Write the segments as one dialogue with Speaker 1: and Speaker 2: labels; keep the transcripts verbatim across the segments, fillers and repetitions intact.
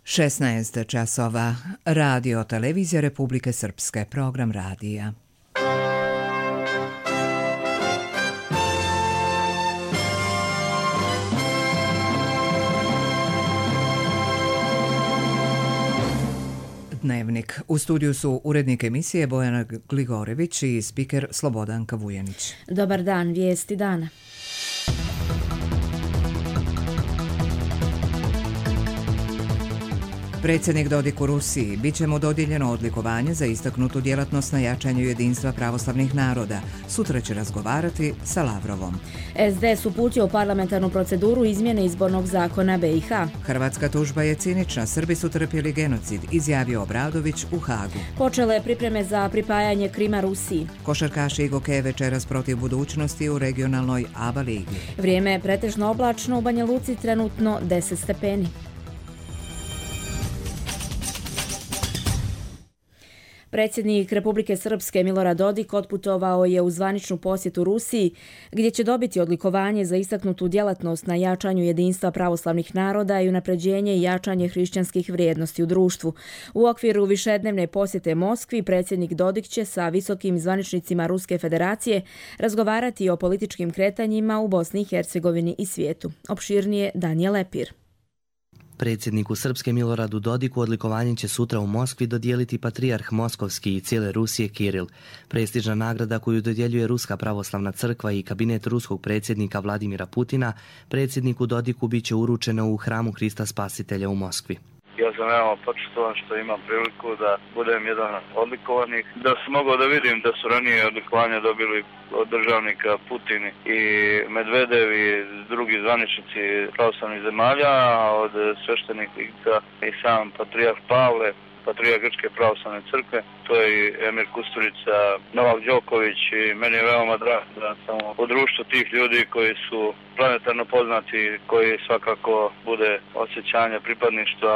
Speaker 1: šesnaest časova. Radio Televizija Republike Srpske. Program radija. Dnevnik. U studiju su urednik emisije Bojana Gligorević i spiker Slobodanka Vujanić.
Speaker 2: Dobar dan, vijesti dana.
Speaker 1: Predsjednik Dodik u Rusiji. Biće mu dodijeljeno odlikovanje za istaknutu djelatnost na jačanju jedinstva pravoslavnih naroda. Sutra će razgovarati sa Lavrovom.
Speaker 2: S D S uputio u parlamentarnu proceduru izmjene izbornog zakona B i H.
Speaker 1: Hrvatska tužba je cinična. Srbi su trpjeli genocid, izjavio Obradović u Hagu.
Speaker 2: Počele pripreme za pripajanje Krima Rusiji.
Speaker 1: Košarkaši Igoke večeras protiv budućnosti u regionalnoj A B A ligi.
Speaker 2: Vrijeme je pretežno oblačno, u Banja Luci trenutno deset stepeni. Predsjednik Republike Srpske Milorad Dodik otputovao je u zvaničnu posjetu Rusiji, gdje će dobiti odlikovanje za istaknutu djelatnost na jačanju jedinstva pravoslavnih naroda i unapređenje i jačanje hrišćanskih vrijednosti u društvu. U okviru višednevne posjete Moskvi, predsjednik Dodik će sa visokim zvaničnicima Ruske federacije razgovarati o političkim kretanjima u Bosni i Hercegovini i svijetu. Opširnije Danijel Lepir.
Speaker 3: Predsjedniku Srpske Miloradu Dodiku odlikovanje će sutra u Moskvi dodijeliti patrijarh Moskovski i cijele Rusije Kiril. Prestižna nagrada koju dodjeljuje Ruska pravoslavna crkva i kabinet ruskog predsjednika Vladimira Putina, predsjedniku Dodiku bit će uručeno u hramu Hrista Spasitelja u Moskvi.
Speaker 4: Ja sam veoma počašćen što imam priliku da budem jedan od odlikovanih. Da sam mogao da vidim da su ranije odlikovanja dobili od državnika Putin i Medvedev i drugi zvaničnici pravoslavnih zemalja, od sveštenih lica i sam patrijarh Pavle, patrijarh Grčke pravoslavne crkve, to je i Emir Kusturica, Novak Đoković, i meni je veoma drago da sam u društvu tih ljudi koji su planetarno poznati, koji svakako bude osjećanje pripadništva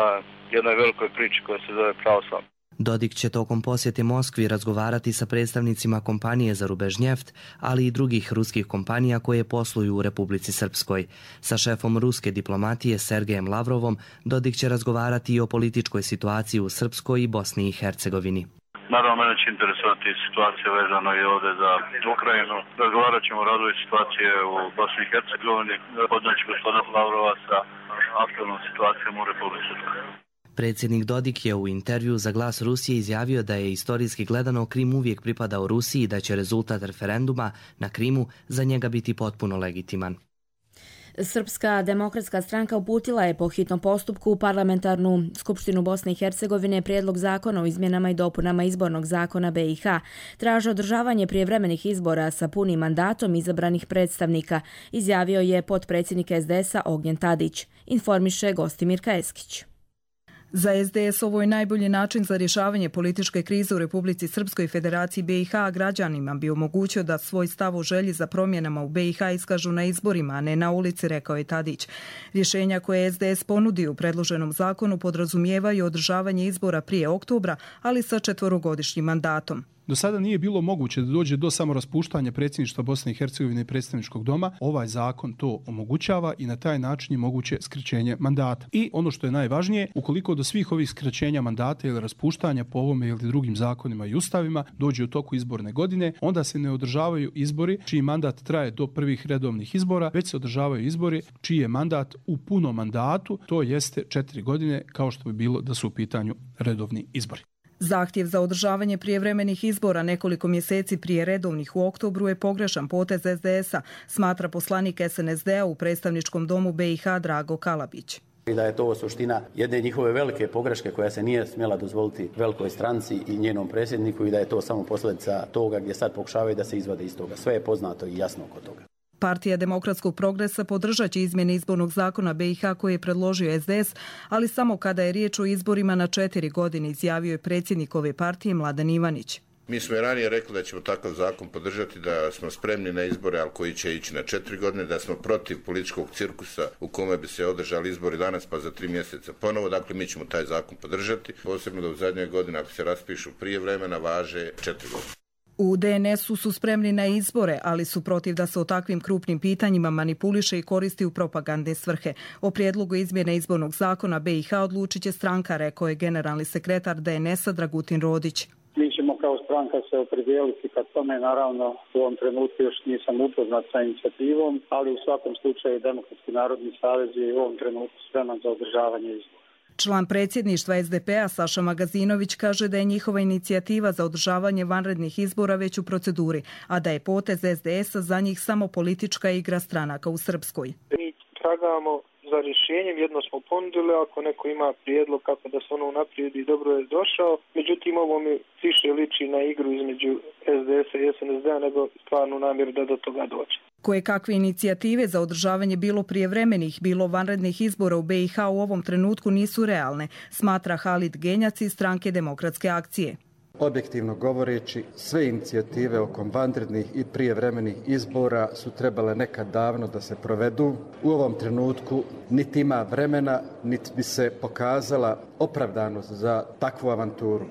Speaker 4: jednoj velikoj priči koja se zove pravoslavna.
Speaker 3: Dodik će tokom posjete Moskvi razgovarati sa predstavnicima kompanije za rubežnjeft, ali i drugih ruskih kompanija koje posluju u Republici Srpskoj. Sa šefom ruske diplomatije Sergejem Lavrovom Dodik će razgovarati i o političkoj situaciji u Srpskoj i Bosni i Hercegovini.
Speaker 4: Naravno, mene će interesovati situacija vezano i ovdje za Ukrajinu. Razgovarat ćemo o razvoju situacije u Bosni i Hercegovini. Podnaći gospodin Lavrova sa aktualnom situacijom u Republici Srpskoj.
Speaker 3: Predsjednik Dodik je u intervju za Glas Rusije izjavio da je istorijski gledano Krim uvijek pripadao Rusiji i da će rezultat referenduma na Krimu za njega biti potpuno legitiman.
Speaker 2: Srpska demokratska stranka uputila je po hitnom postupku u parlamentarnu skupštinu Bosne i Hercegovine prijedlog zakona o izmjenama i dopunama izbornog zakona B i H. Traže održavanje prijevremenih izbora sa punim mandatom izabranih predstavnika, izjavio je potpredsjednik S D S-a Ognjen Tadić, informiše Gostimirka Eskić.
Speaker 5: Za S D S ovo je najbolji način za rješavanje političke krize u Republici Srpskoj Federaciji B i H, a građanima bi omogućio da svoj stav o želji za promjenama u B i H iskažu na izborima, a ne na ulici, rekao je Tadić. Rješenja koje S D S ponudi u predloženom zakonu podrazumijevaju održavanje izbora prije oktobra, ali sa četvorogodišnjim mandatom.
Speaker 6: Do sada nije bilo moguće da dođe do samoraspuštanja predsjedništva Bosne i Hercegovine i predstavničkog doma. Ovaj zakon to omogućava i na taj način je moguće skraćenje mandata. I ono što je najvažnije, ukoliko do svih ovih skraćenja mandata ili raspuštanja po ovome ili drugim zakonima i ustavima dođe u toku izborne godine, onda se ne održavaju izbori čiji mandat traje do prvih redovnih izbora, već se održavaju izbori čiji je mandat u punom mandatu, to jeste četiri godine, kao što bi bilo da su u pitanju redovni izbori.
Speaker 5: Zahtjev za održavanje prijevremenih izbora nekoliko mjeseci prije redovnih u oktobru je pogrešan potez S D S-a, smatra poslanik S N S D-a u predstavničkom domu B i H Drago Kalabić.
Speaker 7: I da je to suština jedne njihove velike pogreške koja se nije smjela dozvoliti velikoj stranci i njenom predsjedniku i da je to samo posljedica toga gdje sad pokušavaju da se izvade iz toga. Sve je poznato i jasno oko toga.
Speaker 5: Partija demokratskog progresa podržat će izmjene izbornog zakona B i H koji je predložio S D S, ali samo kada je riječ o izborima na četiri godine, izjavio je predsjednik ove partije Mladen Ivanić.
Speaker 8: Mi smo i ranije rekli da ćemo takav zakon podržati, da smo spremni na izbore, ali koji će ići na četiri godine, da smo protiv političkog cirkusa u kome bi se održali izbori danas pa za tri mjeseca ponovo. Dakle, mi ćemo taj zakon podržati, posebno da u zadnjoj godini ako se raspišu prije vremena važe četiri godine.
Speaker 5: U D N S-u su spremni na izbore, ali su protiv da se o takvim krupnim pitanjima manipuliše i koristi u propagandne svrhe. O prijedlogu izmjene izbornog zakona B i H odlučit će stranka, rekao je generalni sekretar D N S-a Dragutin Rodić.
Speaker 9: Mi ćemo kao stranka se opredijeliti kad tome, naravno u ovom trenutku još nisam upoznat sa inicijativom, ali u svakom slučaju Demokratski narodni savez je u ovom trenutku spreman za održavanje izbora.
Speaker 5: Član predsjedništva S D P-a Saša Magazinović kaže da je njihova inicijativa za održavanje vanrednih izbora već u proceduri, a da je potez S D S-a za njih samo politička igra stranaka u Srpskoj.
Speaker 10: Mi tragamo za rješenjem, jedno smo ponudili, ako neko ima prijedlog kako da se ono unaprijedi, dobro je došao. Međutim, ovo mi više liči na igru između S D S-a i S N S D-a nego stvarnu namjeru da do toga dođe.
Speaker 5: Koje kakve inicijative za održavanje bilo prijevremenih, bilo vanrednih izbora u B i H u ovom trenutku nisu realne, smatra Halid Genjac iz stranke Demokratske akcije.
Speaker 11: Objektivno govoreći, sve inicijative oko vanrednih i prijevremenih izbora su trebale nekad davno da se provedu. U ovom trenutku niti ima vremena, niti bi se pokazala opravdanost za takvu avanturu.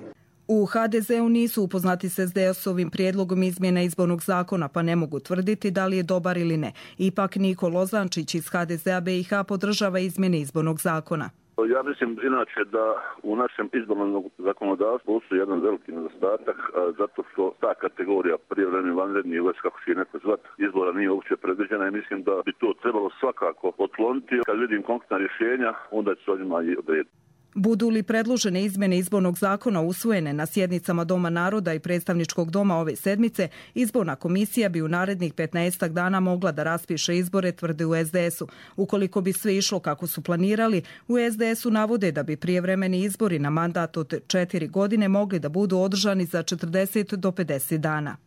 Speaker 5: U H D Z-u nisu upoznati s S D S-ovim prijedlogom izmjena izbornog zakona, pa ne mogu tvrditi da li je dobar ili ne. Ipak Niko Lozančić iz H D Z-a B i H podržava izmjene izbornog zakona.
Speaker 12: Ja mislim inače da u našem izbornom zakonodavstvu postoji jedan veliki nedostatak, zato što ta kategorija prijevremeni, vanredni, ili kako će neko zvat, izbora nije uopće predviđena i mislim da bi to trebalo svakako otkloniti. Kad vidim konkretna rješenja, onda će se o njima i odrediti.
Speaker 5: Budu li predložene izmjene izbornog zakona usvojene na sjednicama Doma naroda i predstavničkog doma ove sedmice, izborna komisija bi u narednih petnaestak dana mogla da raspiše izbore, tvrde u S D S-u. Ukoliko bi sve išlo kako su planirali, u S D S-u navode da bi prijevremeni izbori na mandat od četiri godine mogli da budu održani za četrdeset do pedeset dana.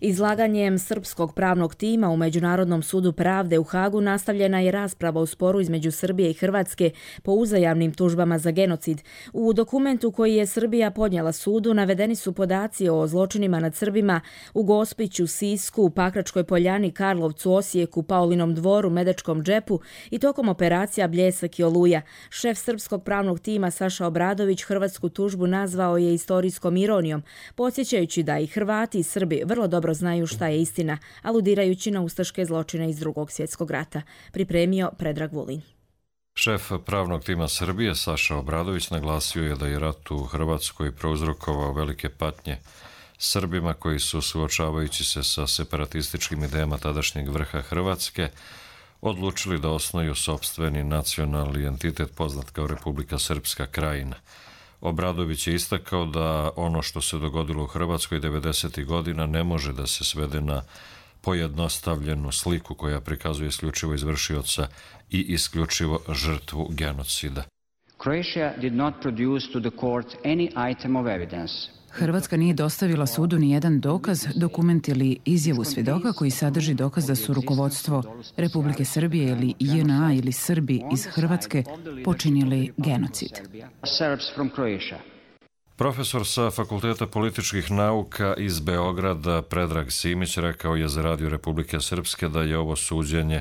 Speaker 2: Izlaganjem srpskog pravnog tima u Međunarodnom sudu pravde u Hagu nastavljena je rasprava u sporu između Srbije i Hrvatske po uzajamnim tužbama za genocid. U dokumentu koji je Srbija podnijela sudu navedeni su podaci o zločinima nad Srbima u Gospiću, Sisku, Pakračkoj Poljani, Karlovcu, Osijeku, Paulinom dvoru, Medačkom džepu i tokom operacija Bljesak i Oluja. Šef srpskog pravnog tima Saša Obradović hrvatsku tužbu nazvao je istorijskom ironijom, podsjećajući da i Hrvati i Srbi vrlo dobro znaju šta je istina, aludirajući na ustaške zločine iz Drugog svjetskog rata. Pripremio Predrag Vulin.
Speaker 13: Šef pravnog tima Srbije Saša Obradović naglasio je da je rat u Hrvatskoj prouzrokovao velike patnje Srbima koji su, suočavajući se sa separatističkim idejama tadašnjeg vrha Hrvatske, odlučili da osnuju sopstveni nacionalni entitet poznat kao Republika Srpska Krajina. Obradović je istakao da ono što se dogodilo u Hrvatskoj devedesetih godina ne može da se svede na pojednostavljenu sliku koja prikazuje isključivo izvršioca i isključivo žrtvu genocida.
Speaker 14: Croatia did not produce to the court any item of evidence.
Speaker 15: Hrvatska nije dostavila sudu ni jedan dokaz, dokument ili izjavu svjedoka koji sadrži dokaz da su rukovodstvo Republike Srbije ili J N A ili Srbi iz Hrvatske počinili genocid.
Speaker 13: Profesor sa Fakulteta političkih nauka iz Beograda Predrag Simić rekao je za Radio Republike Srpske da je ovo suđenje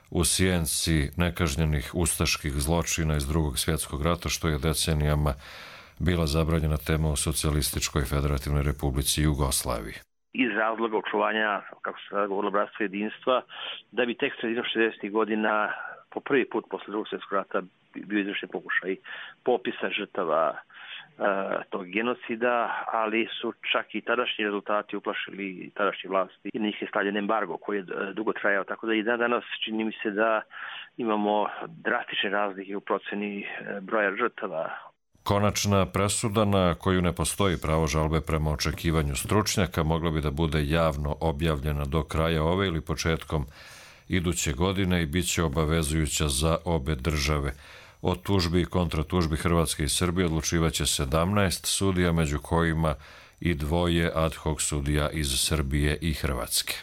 Speaker 13: u sjenci nekažnjenih ustaških zločina iz Drugog svjetskog rata, što je decenijama bila zabranjena tema u Socijalističkoj federativnoj republici Jugoslaviji.
Speaker 16: Iz razloga očuvanja, kako se sada govorilo, bratstva jedinstva, da bi tek sredinom šezdesetih godina po prvi put posle Drugog svjetskog rata bio izvršen pokušaj popisa žrtava e, tog genocida, ali su čak i tadašnji rezultati uplašili tadašnje vlasti i na njih je stavljen embargo koji je dugo trajao, tako da i dan danas čini mi se da imamo drastične razlike u proceni broja žrtava.
Speaker 13: Konačna presuda na koju ne postoji pravo žalbe prema očekivanju stručnjaka mogla bi da bude javno objavljena do kraja ove ili početkom iduće godine i bit će obavezujuća za obe države. O tužbi i kontratužbi Hrvatske i Srbije odlučivaće sedamnaest sudija, među kojima i dvoje ad hoc sudija iz Srbije i Hrvatske.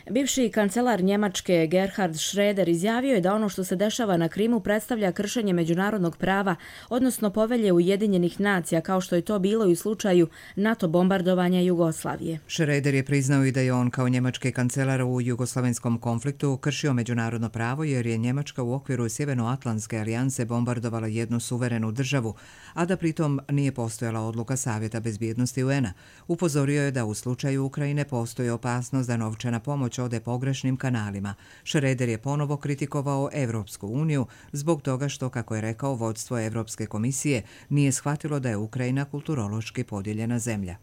Speaker 2: Bivši kancelar Njemačke Gerhard Schröder izjavio je da ono što se dešava na Krimu predstavlja kršenje međunarodnog prava, odnosno povelje Ujedinjenih nacija, kao što je to bilo i u slučaju NATO bombardovanja Jugoslavije.
Speaker 1: Schröder je priznao i da je on kao njemački kancelar u jugoslavenskom konfliktu kršio međunarodno pravo jer je Njemačka u okviru Sjevernoatlantske alijanse bombardovala jednu suverenu državu, a da pritom nije postojala odluka Savjeta bezbjednosti U N A. Upozorio je da u slučaju Ukrajine postoji opasnost da novčana pomoć ode pogrešnim kanalima. Schröder je ponovo kritikovao Evropsku uniju zbog toga što, kako je rekao, vodstvo Evropske komisije nije shvatilo da je Ukrajina kulturološki podijeljena zemlja.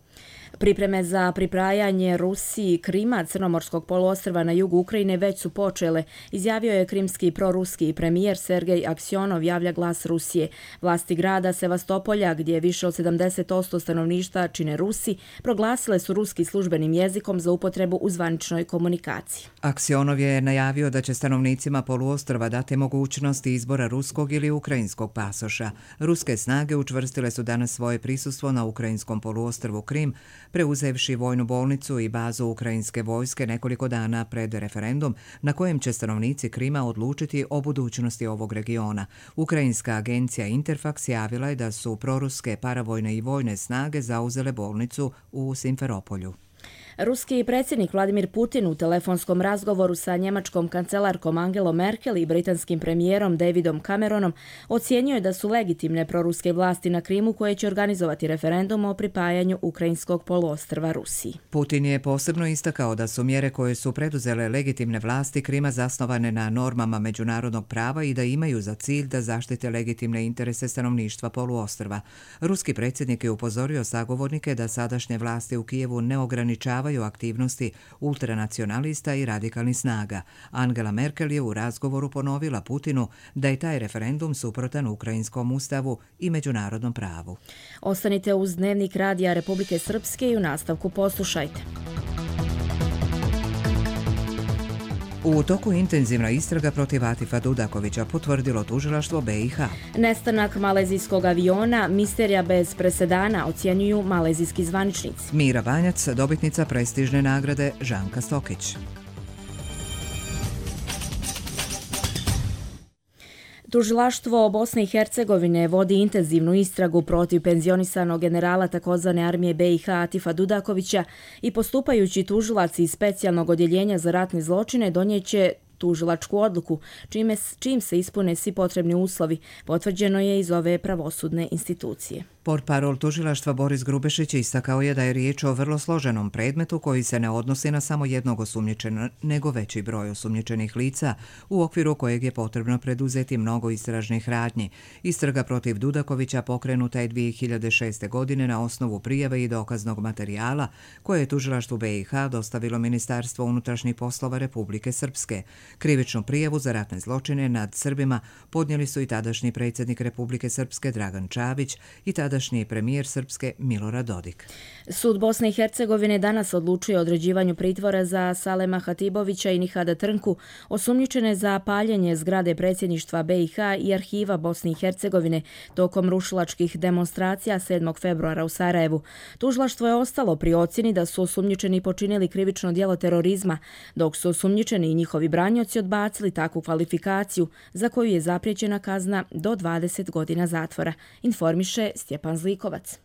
Speaker 2: Pripreme za priprajanje Rusiji Krima, Crnomorskog poluostrva na jugu Ukrajine, već su počele, izjavio je krimski proruski premijer Sergej Aksionov, javlja Glas Rusije. Vlasti grada Sevastopolja, gdje više od sedamdeset posto stanovništva čine Rusi, proglasile su ruski službenim jezikom za upotrebu u zvaničnoj komunikaciji.
Speaker 1: Aksionov je najavio da će stanovnicima poluostrva dati mogućnosti izbora ruskog ili ukrajinskog pasoša. Ruske snage učvrstile su danas svoje prisustvo na ukrajinskom poluostrvu Krim, preuzevši vojnu bolnicu i bazu ukrajinske vojske nekoliko dana pred referendum na kojem će stanovnici Krima odlučiti o budućnosti ovog regiona. Ukrajinska agencija Interfax javila je da su proruske paravojne i vojne snage zauzele bolnicu u Simferopolju.
Speaker 2: Ruski predsjednik Vladimir Putin u telefonskom razgovoru sa njemačkom kancelarkom Angelom Merkel i britanskim premijerom Davidom Cameronom ocijenio je da su legitimne proruske vlasti na Krimu koje će organizovati referendum o pripajanju ukrajinskog poluostrva Rusiji.
Speaker 1: Putin je posebno istakao da su mjere koje su preduzele legitimne vlasti Krima zasnovane na normama međunarodnog prava i da imaju za cilj da zaštite legitimne interese stanovništva poluostrva. Ruski predsjednik je upozorio sagovornike da sadašnje vlasti u Kijevu ne ograničavaju aktivnosti ultranacionalista i radikalnih snaga. Angela Merkel je u razgovoru ponovila Putinu da je taj referendum suprotan ukrajinskom ustavu i međunarodnom pravu.
Speaker 2: Ostanite uz Dnevnik radija Republike Srpske i u nastavku poslušajte.
Speaker 1: U toku intenzivna istraga protiv Atifa Dudakovića, potvrdilo tužilaštvo B i H.
Speaker 2: Nestanak malezijskog aviona, misterija bez presedana, ocjenjuju malezijski zvaničnici.
Speaker 1: Mira Banjac, dobitnica prestižne nagrade Žanka Stokić.
Speaker 2: Tužilaštvo Bosne i Hercegovine vodi intenzivnu istragu protiv penzionisanog generala takozvane armije B i H Atifa Dudakovića i postupajući tužilac iz specijalnog odjeljenja za ratne zločine donijeće tužilačku odluku, čime, čim se ispune svi potrebni uslovi, potvrđeno je iz ove pravosudne institucije.
Speaker 1: Portparol tužilaštva Boris Grubešić istakao je da je riječ o vrlo složenom predmetu koji se ne odnosi na samo jednog osumnjičenog, nego veći broj osumnjičenih lica, u okviru kojeg je potrebno preduzeti mnogo istražnih radnji. Istraga protiv Dudakovića pokrenuta je dvije hiljade šeste. godine na osnovu prijave i dokaznog materijala koje je tužilaštvu B i H dostavilo Ministarstvo unutrašnjih poslova Republike Srpske. Krivičnu prijavu za ratne zločine nad Srbima podnijeli su i tadašnji predsjednik Republike Srpske Dragan Čavić i tadašnji premijer Srpske Milorad Dodik.
Speaker 2: Sud Bosne i Hercegovine danas odlučuje o određivanju pritvora za Salema Hatibovića i Nihada Trnku, osumnjičene za paljenje zgrade predsjedništva B i H i arhiva Bosne i Hercegovine tokom rušilačkih demonstracija sedmog februara u Sarajevu. Tužilaštvo je ostalo pri ocjeni da su osumnjičeni počinili krivično djelo terorizma, dok su osumnjičeni i njihovi branioci odbacili takvu kvalifikaciju za koju je zapriječena kazna do dvadeset godina zatvora, informiše Stjepan Zlikovac.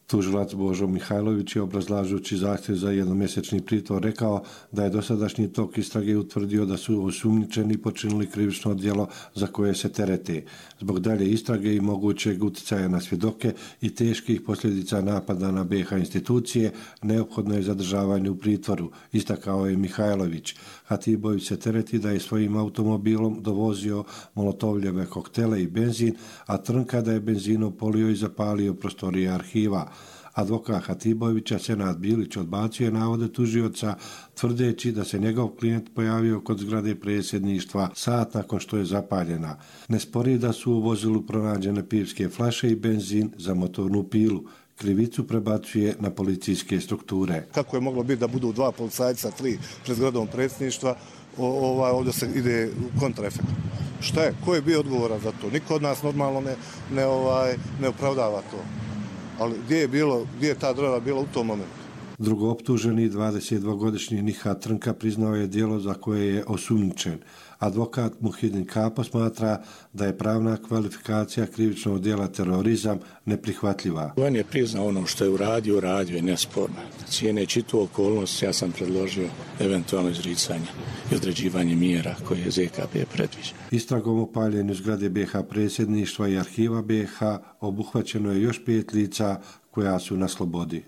Speaker 17: Tužilac Božo Mihajlović je, obrazlažući zahtjev za jednomjesečni pritvor, rekao da je dosadašnji tok istrage utvrdio da su osumnjičeni počinili krivično djelo za koje se terete. Zbog dalje istrage i mogućeg utjecaja na svjedoke i teških posljedica napada na B i H institucije, neophodno je zadržavanje u pritvoru, istakao je Mihajlović. Hatibović se tereti da je svojim automobilom dovozio molotovljeve koktele i benzin, a Trnka da je benzinom polio i zapalio prostorije arhiva. Advokat Hatibovića, Senad Bilić, odbacio je navode tužioca, tvrdeći da se njegov klijent pojavio kod zgrade predsjedništva sat nakon što je zapaljena. Ne spori da su u vozilu pronađene pivske flaše i benzin za motornu pilu. Krivicu prebacuje na policijske strukture.
Speaker 18: Kako je moglo biti da budu dva policajca, tri pred zgradom predsjedništva, ovaj, ovdje se ide u kontraefekt. Šta je? Ko je bio odgovoran za to? Niko od nas normalno ne, ne, ovaj, ne opravdava to. Ali gdje je, bilo, gdje je ta država bila u tom momentu?
Speaker 17: Drugooptuženi dvadesetdvogodišnji Nihat Trnka priznao je djelo za koje je osumnjičen. Advokat Muhidin Kapo smatra da je pravna kvalifikacija krivičnog djela terorizam neprihvatljiva.
Speaker 19: On je priznao ono što je uradio, uradio je nesporno. Cijeneći tu okolnost, ja sam predložio eventualno izricanje i određivanje mjera koje je Z K P predviđa.
Speaker 17: Istragom o paljenju zgrade B H predsjedništva i arhiva B H obuhvaćeno je još pet lica koja su na slobodi.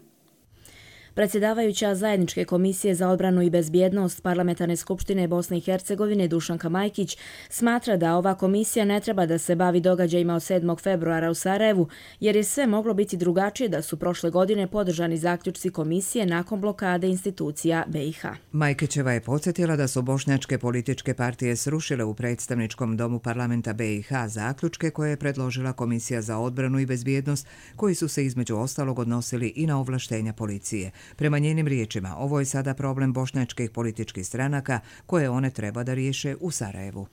Speaker 2: Predsjedavajuća Zajedničke komisije za odbranu i bezbjednost Parlamentarne skupštine Bosne i Hercegovine Dušanka Majkić smatra da ova komisija ne treba da se bavi događajima od sedmog februara u Sarajevu, jer je sve moglo biti drugačije da su prošle godine podržani zaključci komisije nakon blokade institucija B i H.
Speaker 1: Majkićeva je podsjetila da su bošnjačke političke partije srušile u predstavničkom domu parlamenta B i H zaključke koje je predložila Komisija za odbranu i bezbjednost, koji su se između ostalog odnosili i na ovlaštenja policije. Prema njenim riječima, ovo je sada problem bošnjačkih političkih stranaka koje one treba da riješe u Sarajevu.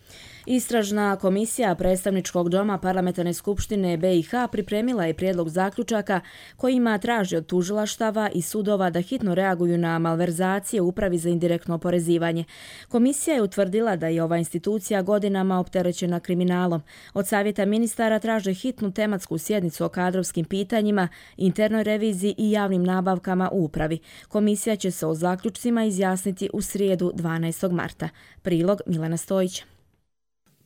Speaker 2: Istražna komisija predstavničkog doma Parlamentarne skupštine B i H pripremila je prijedlog zaključaka kojima traži od tužilaštava i sudova da hitno reaguju na malverzacije u Upravi za indirektno oporezivanje. Komisija je utvrdila da je ova institucija godinama opterećena kriminalom. Od savjeta ministara traže hitnu tematsku sjednicu o kadrovskim pitanjima, internoj reviziji i javnim nabavkama u upravi. Komisija će se o zaključcima izjasniti u srijedu dvanaestog marta. Prilog Milena Stojića.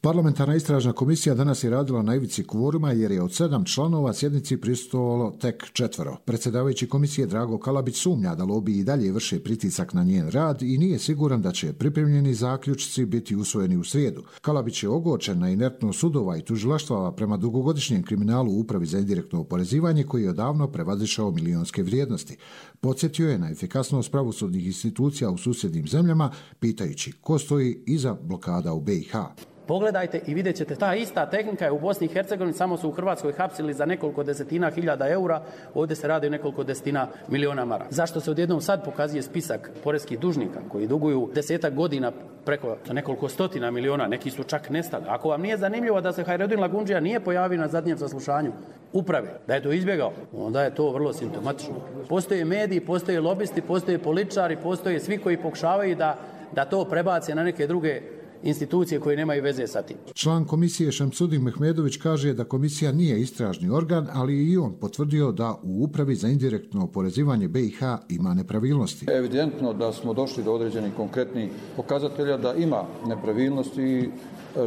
Speaker 20: Parlamentarna istražna komisija danas je radila na ivici kvoruma jer je od sedam članova sjednici prisustvovalo tek četvero. Predsjedavajući komisije Drago Kalabić sumnja da lobiji i dalje vrše pritisak na njen rad i nije siguran da će pripremljeni zaključci biti usvojeni u srijedu. Kalabić je ogorčen na inertnost sudova i tužilaštava prema dugogodišnjem kriminalu u Upravi za indirektno oporezivanje koji je odavno prevazišao milionske vrijednosti. Podsjetio je na efikasnost pravosudnih institucija u susjednim zemljama, pitajući ko stoji iza blokada u B i H.
Speaker 7: Pogledajte i vidjet ćete, ta ista tehnika je u Bosni i Hercegovini, samo su u Hrvatskoj hapsili za nekoliko desetina hiljada eura, ovdje se radi o nekoliko desetina miliona maraka. Zašto se odjednom sad pokazuje spisak poreskih dužnika koji duguju desetak godina preko nekoliko stotina miliona, neki su čak nestali. Ako vam nije zanimljivo da se Hajredin Lagundžija nije pojavio na zadnjem saslušanju uprave, da je to izbjegao, onda je to vrlo simptomatično. Postoje mediji, postoje lobisti, postoje političari, postoje svi koji pokušavaju da, da to prebace na neke druge institucije koje nemaju veze sa tim.
Speaker 20: Član komisije Šamsudin Mehmedović kaže da komisija nije istražni organ, ali i on potvrdio da u Upravi za indirektno oporezivanje B i H ima nepravilnosti.
Speaker 21: Evidentno da smo došli do određenih konkretnih pokazatelja da ima nepravilnosti i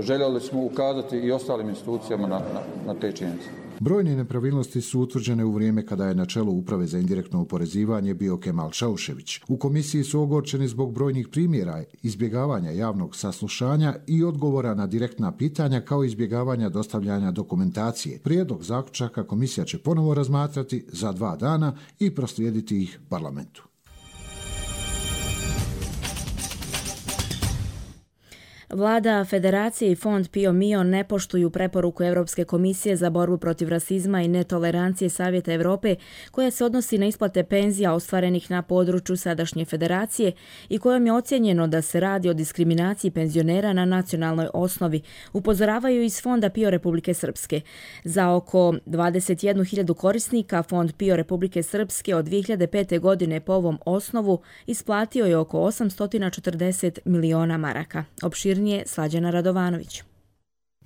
Speaker 21: željeli smo ukazati i ostalim institucijama na, na, na te činjenice.
Speaker 20: Brojne nepravilnosti su utvrđene u vrijeme kada je na čelu Uprave za indirektno oporezivanje bio Kemal Šaušević. U komisiji su ogorčeni zbog brojnih primjera izbjegavanja javnog saslušanja i odgovora na direktna pitanja kao izbjegavanja dostavljanja dokumentacije. Prijedlog zaključaka komisija će ponovo razmatrati za dva dana i proslijediti ih parlamentu.
Speaker 2: Vlada Federacije i Fond Pio Mio ne poštuju preporuku Europske komisije za borbu protiv rasizma i netolerancije Savjeta Europe koja se odnosi na isplate penzija ostvarenih na području sadašnje federacije i kojom je ocjenjeno da se radi o diskriminaciji penzionera na nacionalnoj osnovi, upozoravaju iz Fonda Pio Republike Srpske. Za oko dvadeset jednu hiljadu korisnika Fond Pio Republike Srpske od dvije hiljade pete. godine po ovom osnovu isplatio je oko osamsto četrdeset miliona maraka. Opširnije Slađana Radovanović.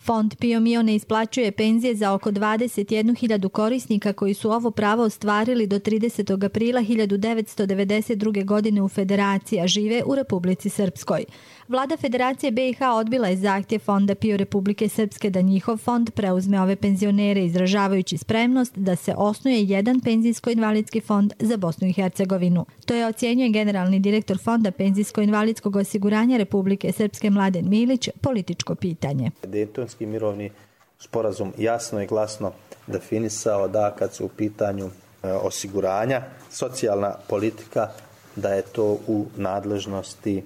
Speaker 22: Fond Pio Mio ne isplaćuje penzije za oko dvadeset jednu hiljadu korisnika koji su ovo pravo ostvarili do tridesetog aprila hiljadu devetsto devedeset druge. godine u Federaciji, a žive u Republici Srpskoj. Vlada Federacije B i H odbila je zahtjev Fonda Pio Republike Srpske da njihov fond preuzme ove penzionere, izražavajući spremnost da se osnuje jedan penzijsko-invalidski fond za Bosnu i Hercegovinu. To je ocjenjuje generalni direktor Fonda penzijsko-invalidskog osiguranja Republike Srpske Mladen Milić, političko pitanje.
Speaker 23: Dejtonski mirovni sporazum jasno i glasno definisao da kad su u pitanju osiguranja, socijalna politika, da je to u nadležnosti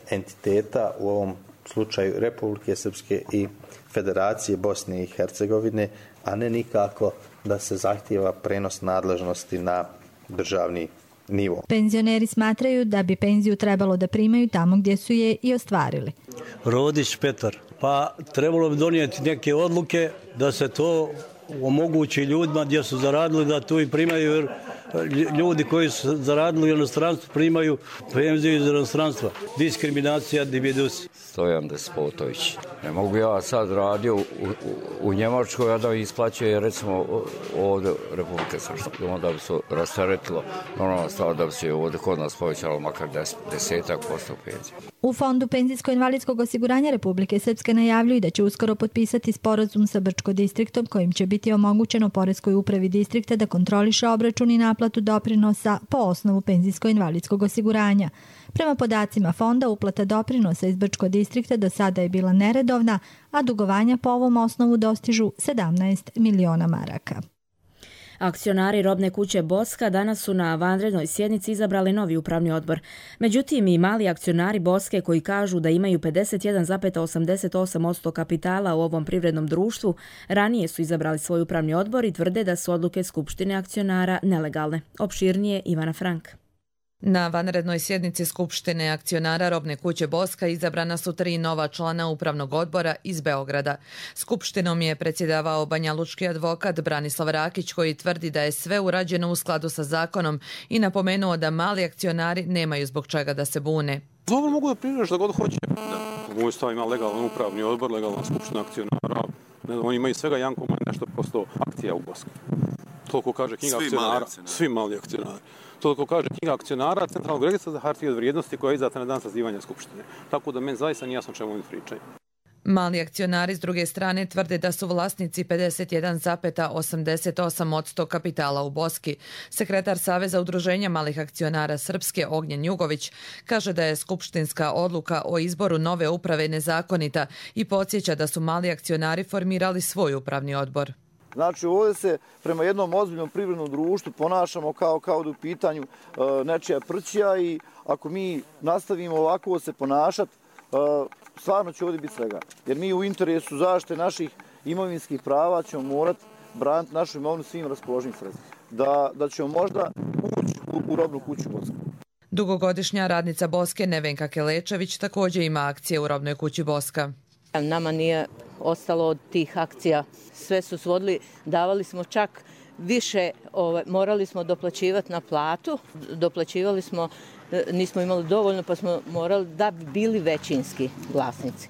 Speaker 23: entiteta, u ovom slučaju Republike Srpske i Federacije Bosne i Hercegovine, a ne nikako da se zahtijeva prenos nadležnosti na državni nivo.
Speaker 22: Penzioneri smatraju da bi penziju trebalo da primaju tamo gdje su je i ostvarili.
Speaker 24: Rodić Petar. Pa trebalo bi donijeti neke odluke da se to omogući ljudima gdje su zaradili da tu i primaju, jer ljudi koji su zaradili u inostranstvu primaju penziju iz inostranstva. Diskriminacija dividus.
Speaker 3: Stojan Despotović. Ne mogu ja sad radio u, u, u Njemačkoj, a da isplaćuje recimo ovdje Republike Srpske. Onda bi se rasteretilo normalna stvar da bi se ovdje kod nas povećalo makar des, desetak posto penzija.
Speaker 22: U Fondu penzijsko-invalidskog osiguranja Republike Srpske najavljuju da će uskoro potpisati sporazum sa Brčko distriktom kojim će biti omogućeno poreskoj upravi distrikta da kontroliše obračun i naplatu doprinosa po osnovu penzijsko-invalidskog osiguranja. Prema podacima fonda, uplata doprinosa iz Brčko distrikta do sada je bila neredovna, a dugovanja po ovom osnovu dostižu sedamnaest miliona maraka.
Speaker 2: Akcionari robne kuće Boska danas su na vanrednoj sjednici izabrali novi upravni odbor. Međutim, i mali akcionari Boske koji kažu da imaju pedeset jedan zarez osamdeset osam posto kapitala u ovom privrednom društvu, ranije su izabrali svoj upravni odbor i tvrde da su odluke Skupštine akcionara nelegalne. Opširnije Ivana Frank.
Speaker 4: Na vanrednoj sjednici Skupštine akcionara robne kuće Boska izabrana su tri nova člana upravnog odbora iz Beograda. Skupštinom je predsjedavao banjalučki advokat Branislav Rakić koji tvrdi da je sve urađeno u skladu sa zakonom i napomenuo da mali akcionari nemaju zbog čega da se bune.
Speaker 6: Dobro mogu da prižeš da god hoće. Da. Moj stav ima legalan upravni odbor, legalna skupština akcionara. Ne znam, oni imaju svega jedan komad nešto posto akcija u Boski. Toliko kaže knjiga svi akcionara. Mali akcionari. Svi mali akcionari. Toliko kaže knjiga akcionara Centralnog registra za hartije od vrijednosti koja je izdata na dan sazivanja Skupštine. Tako da meni zaista nije jasno čemu oni pričaju.
Speaker 4: Mali akcionari s druge strane tvrde da su vlasnici pedeset jedan zarez osamdeset osam posto kapitala u Boski. Sekretar Saveza udruženja malih akcionara Srpske Ognjen Jugović kaže da je skupštinska odluka o izboru nove uprave nezakonita i podsjeća da su mali akcionari formirali svoj upravni odbor.
Speaker 8: Znači ovdje se prema jednom ozbiljnom privrednom društvu ponašamo kao, kao da u pitanju e, nečija prćija i ako mi nastavimo ovako se ponašati, e, stvarno će ovdje biti svega. Jer mi u interesu zaštite naših imovinskih prava ćemo morati braniti našu imovinu svim raspoloživim sredstvima. Da, da ćemo možda ući u, u robnu kuću Boske.
Speaker 4: Dugogodišnja radnica Boske Nevenka Kelečević također ima akcije u robnoj kući Boska.
Speaker 25: Nama nije ostalo od tih akcija. Sve su svodili, davali smo čak više, ovaj, morali smo doplaćivati na platu, doplaćivali smo, nismo imali dovoljno pa smo morali da bi bili većinski vlasnici.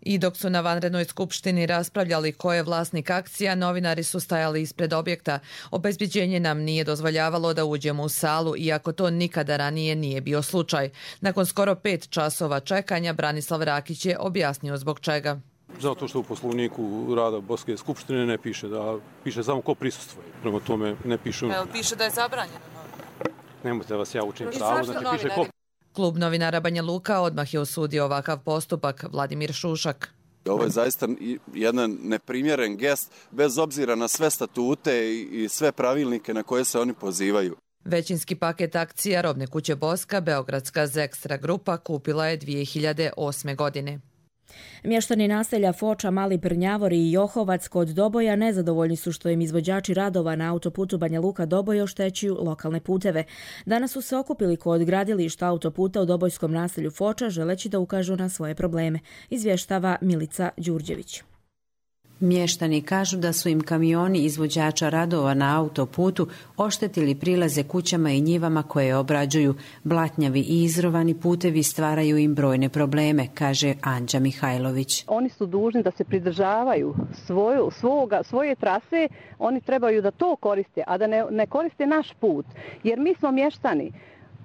Speaker 4: I dok su na vanrednoj skupštini raspravljali ko je vlasnik akcija, novinari su stajali ispred objekta. Obezbeđenje nam nije dozvoljavalo da uđemo u salu, iako to nikada ranije nije bio slučaj. Nakon skoro pet časova čekanja, Branislav Rakić je objasnio zbog čega.
Speaker 6: Zato što u poslovniku rada Boske skupštine ne piše da piše samo ko prisustvuje. Prema tome ne piše.
Speaker 4: Jel piše da je zabranjeno?
Speaker 6: Nemojte da vas ja učim pravo, znači piše ko.
Speaker 4: Klub novinara Banja Luka odmah je osudio ovakav postupak. Vladimir Šušak.
Speaker 26: Ovo je zaista jedan neprimjeren gest bez obzira na sve statute i sve pravilnike na koje se oni pozivaju.
Speaker 4: Većinski paket akcija robne kuće Boska Beogradska Zekstra grupa kupila je dvije hiljade osme. godine.
Speaker 2: Mještani naselja Foča, Mali Prnjavor i Johovac kod Doboja nezadovoljni su što im izvođači radova na autoputu Banja Luka Doboj oštećuju lokalne puteve. Danas su se okupili kod gradilišta autoputa u Dobojskom naselju Foča želeći da ukažu na svoje probleme, izvještava Milica Đurđević.
Speaker 27: Mještani kažu da su im kamioni izvođača radova na autoputu oštetili prilaze kućama i njivama koje obrađuju. Blatnjavi i izrovani putevi stvaraju im brojne probleme, kaže Anđa Mihajlović.
Speaker 28: Oni su dužni da se pridržavaju svoju, svoga, svoje trase, oni trebaju da to koriste, a da ne, ne koriste naš put, jer mi smo mještani.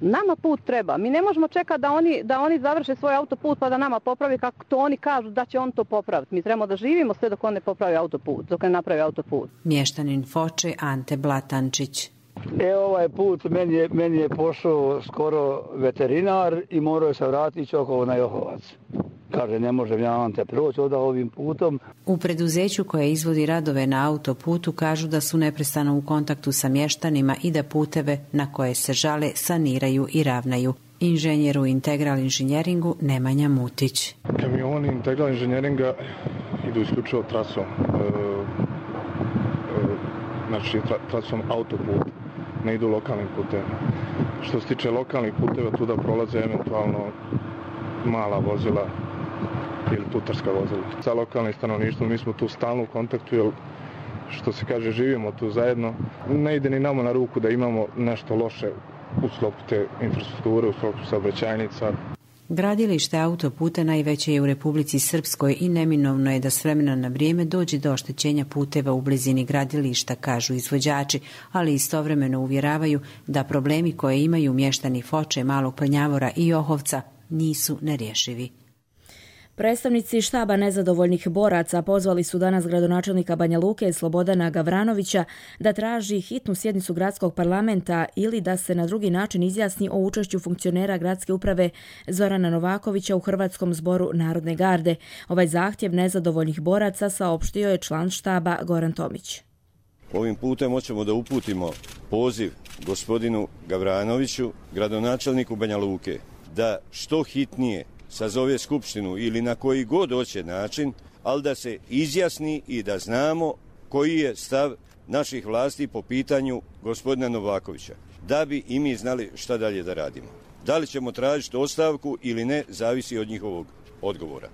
Speaker 28: Nama put treba. Mi ne možemo čekati da oni, da oni završe svoj autoput pa da nama popravi kako to oni kažu da će on to popraviti. Mi trebamo da živimo sve dok on ne popravi autoput, dok ne napravi autoput.
Speaker 27: Mještanin Foče Ante Blatančić.
Speaker 29: E, ovaj put meni je, meni je pošao skoro veterinar i morao se vratiti okolo na Johovac. Kaže, ne možem ja vam te proći ovdje ovim putom.
Speaker 27: U preduzeću koje izvodi radove na autoputu kažu da su neprestano u kontaktu sa mještanima i da puteve na koje se žale saniraju i ravnaju. Inženjer u Integral inženjeringu Nemanja Mutić.
Speaker 30: Kamioni Integral inženjeringa idu isključivo trasom, e, e, znači tra, trasom autoput, ne idu lokalnim putevima. Što se tiče lokalnih puteva, tu da prolaze eventualno mala vozila ili putarska vozila. Sa lokalnim stanovništvom mi smo tu stalno u kontaktu jer što se kaže, živimo tu zajedno. Ne ide ni nama na ruku da imamo nešto loše u sklopu te infrastrukture, u sklopu saobraćajnica.
Speaker 27: Gradilište autoputa najveće je u Republici Srpskoj i neminovno je da s vremena na vrijeme dođe do oštećenja puteva u blizini gradilišta, kažu izvođači, ali istovremeno uvjeravaju da problemi koje imaju mještani Foče, Malog Prnjavora i Ohovca nisu nerješivi.
Speaker 2: Predstavnici štaba nezadovoljnih boraca pozvali su danas gradonačelnika Banja Luke Slobodana Gavranovića da traži hitnu sjednicu gradskog parlamenta ili da se na drugi način izjasni o učešću funkcionera gradske uprave Zorana Novakovića u Hrvatskom zboru Narodne garde. Ovaj zahtjev nezadovoljnih boraca saopštio je član štaba Goran Tomić.
Speaker 5: Ovim putem hoćemo da uputimo poziv gospodinu Gavranoviću, gradonačelniku Banja Luke, da što hitnije sazove skupštinu ili na koji god hoće način, ali da se izjasni i da znamo koji je stav naših vlasti po pitanju gospodina Novakovića, da bi i mi znali šta dalje da radimo. Da li ćemo tražiti ostavku ili ne, zavisi od njihovog odgovora.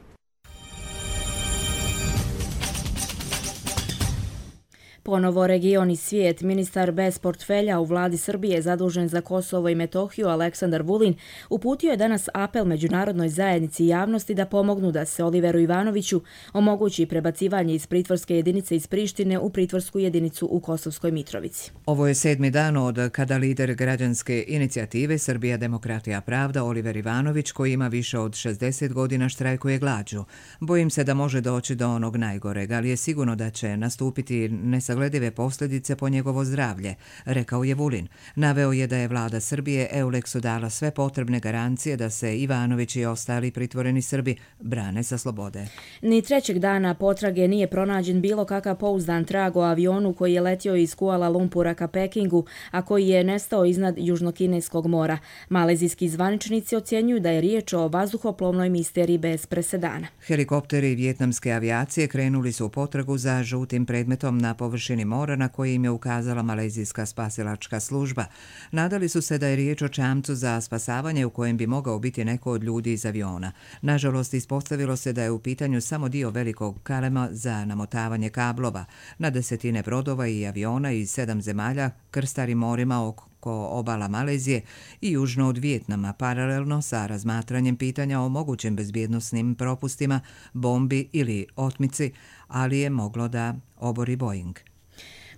Speaker 2: Ponovo region i svijet. Ministar bez portfelja u vladi Srbije zadužen za Kosovo i Metohiju Aleksandar Vulin uputio je danas apel međunarodnoj zajednici i javnosti da pomognu da se Oliveru Ivanoviću omogući prebacivanje iz pritvorske jedinice iz Prištine u pritvorsku jedinicu u Kosovskoj Mitrovici.
Speaker 1: Ovo je sedmi dan od kada lider građanske inicijative Srbija demokratija pravda Oliver Ivanović, koji ima više od šezdeset godina, štrajkuje glađu. Bojim se da može doći do onog najgoreg, ali je sigurno da će nastupiti nesagledive posljedice po njegovo zdravlje, rekao je Vulin. Naveo je da je vlada Srbije Euleksu dala sve potrebne garancije da se Ivanović i ostali pritvoreni Srbi brane sa slobode.
Speaker 2: Ni trećeg dana potrage nije pronađen bilo kakav pouzdan trag o avionu koji je letio iz Kuala Lumpura ka Pekingu, a koji je nestao iznad Južnokineskog mora. Malezijski zvaničnici ocjenjuju da je riječ o vazduhoplovnoj misteriji bez presedana.
Speaker 1: Helikopteri vijetnamske avijacije krenuli su u potragu za žutim predmetom na površini mora na koji im je ukazala malezijska spasilačka služba. Nadali su se da je riječ o čamcu za spasavanje u kojem bi mogao biti neko od ljudi iz aviona. Nažalost, ispostavilo se da je u pitanju samo dio velikog kalema za namotavanje kablova. Na desetine brodova i aviona iz sedam zemalja krstari morima oko obala Malezije i južno od Vijetnama, paralelno sa razmatranjem pitanja o mogućim bezbjednosnim propustima, bombi ili otmici, ali je moglo da obori Boeing.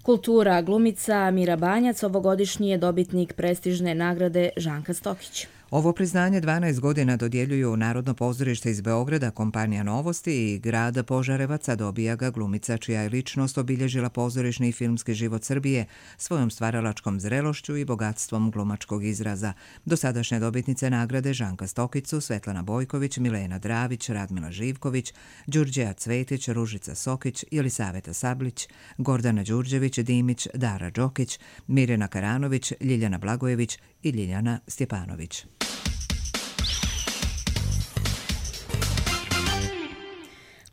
Speaker 2: Kultura. Glumica Mira Banjac ovogodišnji je dobitnik prestižne nagrade Žanka Stokić.
Speaker 1: Ovo priznanje dvanaest godina dodjeljuju Narodno pozorište iz Beograda, kompanija Novosti i grad Požarevaca. Dobija ga glumica čija je ličnost obilježila pozorišni i filmski život Srbije svojom stvaralačkom zrelošću i bogatstvom glumačkog izraza. Dosadašnje dobitnice nagrade Žanka Stokić su Svetlana Bojković, Milena Dravić, Radmila Živković, Đurđeja Cvetić, Ružica Sokić, Jelisaveta Sablić, Gordana Đurđević, Dimić, Dara Đokić, Mirjana Karanović, Ljiljana Blagojević i Ljiljana Stjepanović.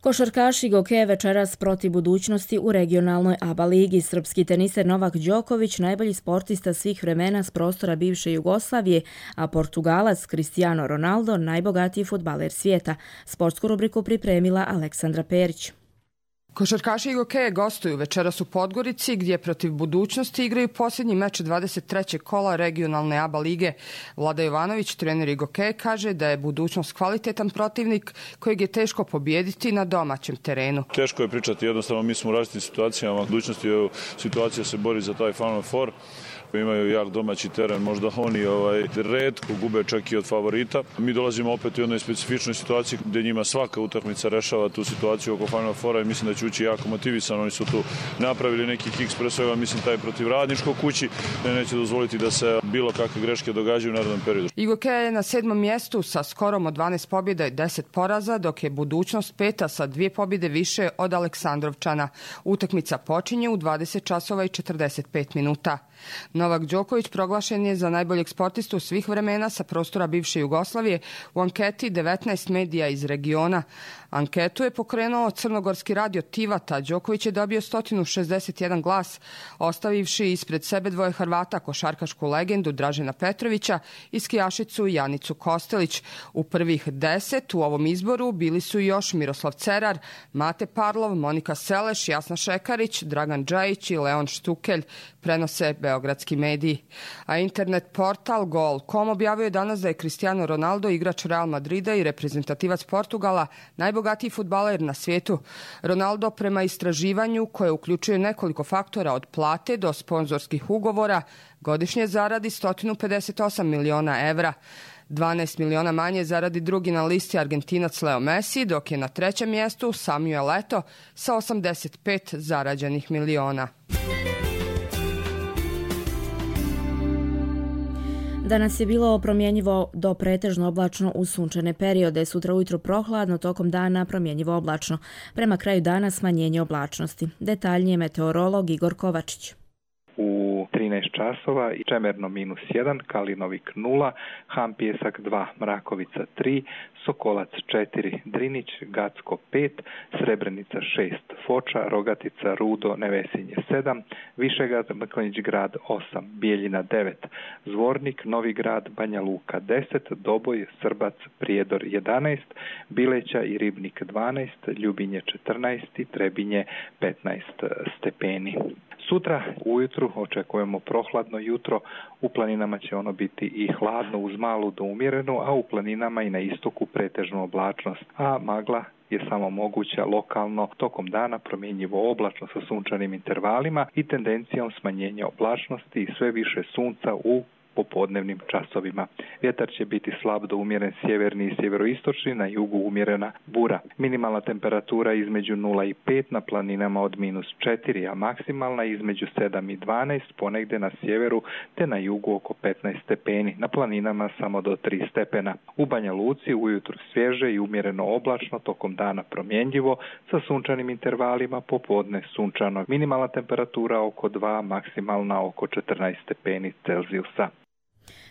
Speaker 2: Košarkaši Goke večeras protiv budućnosti u regionalnoj A B A ligi. Srpski teniser Novak Đoković, najbolji sportista svih vremena s prostora bivše Jugoslavije, a Portugalac Cristiano Ronaldo, najbogatiji fudbaler svijeta. Sportsku rubriku pripremila Aleksandra Perić.
Speaker 9: Košarkaši Gokeje gostuju večeras u Podgorici, gdje protiv budućnosti igraju posljednji meč dvadeset trećeg kola regionalne A B A lige. Vlada Jovanović, trener Gokeje, kaže da je budućnost kvalitetan protivnik kojeg je teško pobijediti na domaćem terenu.
Speaker 10: Teško je pričati, jednostavno mi smo u različitim situacijama. Budućnosti je situacija se bori za taj Final Four. Imaju jak domaći teren, možda oni ovaj, retko gube čak i od favorita. Mi dolazimo opet u jednoj specifičnoj situaciji gdje njima svaka utakmica rešava tu situaciju oko Final Fora i mislim da će ući jako motivisan. Oni su tu napravili neki kiks, pre svega mislim taj protiv Radničkog kući, ne neće dozvoliti da se bilo kakve greške događaju u narednom periodu.
Speaker 9: Gokeja je na sedmom mjestu sa skorom od dvanaest pobjeda i deset poraza, dok je budućnost peta sa dvije pobjede više od Aleksandrovčana. Utakmica počinje u dvadeset časova i četrdeset pet minuta. Novak Đoković proglašen je za najboljeg sportistu svih vremena sa prostora bivše Jugoslavije u anketi devetnaest medija iz regiona. Anketu je pokrenuo crnogorski radio Tivata. Đoković je dobio sto šezdeset jedan glas, ostavivši ispred sebe dvoje Hrvata, košarkašku legendu Dražena Petrovića i skijašicu Janicu Kostelić. U prvih deset u ovom izboru bili su još Miroslav Cerar, Mate Parlov, Monika Seleš, Jasna Šekarić, Dragan Džajić i Leon Štukelj, prenose beogradski mediji. A internet portal Gol tačka com objavio je danas da je Cristiano Ronaldo, igrač Real Madrida i reprezentativac Portugala, najbogatiji fudbaler na svijetu. Ronaldo prema istraživanju, koje uključuje nekoliko faktora od plate do sponzorskih ugovora, godišnje zaradi sto pedeset osam miliona evra. dvanaest miliona manje zaradi drugi na listi Argentinac Leo Messi, dok je na trećem mjestu Samuel Eto'o sa osamdeset pet zarađenih miliona.
Speaker 2: Danas je bilo promjenjivo do pretežno oblačno uz sunčane periode. Sutra ujutro prohladno, tokom dana promjenjivo oblačno. Prema kraju dana smanjenje oblačnosti. Detaljnije meteorolog Igor Kovačić.
Speaker 7: U trinaest časova i Čemerno minus jedan, Kalinovik nula, Han Pjesak dva, Mrakovica tri, Sokolac četiri, Drinić, Gacko pet, Srebrenica šest, Foča, Rogatica, Rudo, Nevesinje sedam, Višegrad, Mrkonjić grad osam, Bijeljina devet, Zvornik, Novi grad, Banja Luka deset, Doboj, Srbac, Prijedor jedanaest, Bileća i Ribnik dvanaest, Ljubinje četrnaest i Trebinje petnaest stepeni. Sutra ujutru očekujemo prohladno jutro, u planinama će ono biti i hladno uz malu do umjerenu, a u planinama i na istoku pretežnu oblačnost, a magla je samo moguća lokalno tokom dana, promjenjivo oblačno sa sunčanim intervalima i tendencijom smanjenja oblačnosti i sve više sunca u popodnevnim časovima. Vjetar će biti slab do umjeren sjeverni i sjeveroistočni, na jugu umjerena bura. Minimalna temperatura između nula i pet, na planinama od minus četiri, a maksimalna između sedam i dvanaest, ponegdje na sjeveru te na jugu oko petnaest stepeni, na planinama samo do tri stepena. U Banja Luci ujutro svježe i umjereno oblačno, tokom dana promjenjivo, sa sunčanim intervalima, popodne sunčano. Minimalna temperatura oko dva, maksimalna oko četrnaest stepeni Celzijusa.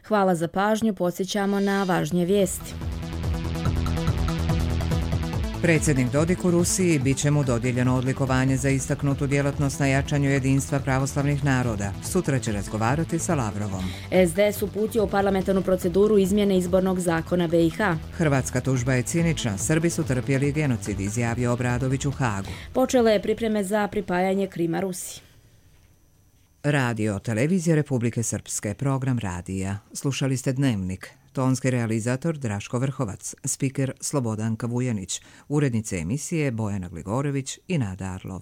Speaker 2: Hvala za pažnju, podsjećamo na važnije vijesti.
Speaker 1: Predsjednik Dodik u Rusiji bit će mu dodijeljeno odlikovanje za istaknutu djelatnost na jačanju jedinstva pravoslavnih naroda. Sutra će razgovarati sa Lavrovom.
Speaker 2: S D S uputio u parlamentarnu proceduru izmjene izbornog zakona B i H.
Speaker 1: Hrvatska tužba je cinična. Srbi su trpjeli genocid, izjavio Obradović u Hagu.
Speaker 2: Počele je pripreme za pripajanje Krima Rusiji.
Speaker 1: Radio, televizija Republike Srpske, program radija. Slušali ste Dnevnik. Tonski realizator Draško Vrhovac, spiker Slobodanka Vujanić, urednice emisije Bojana Gligorević i Nada Arlov.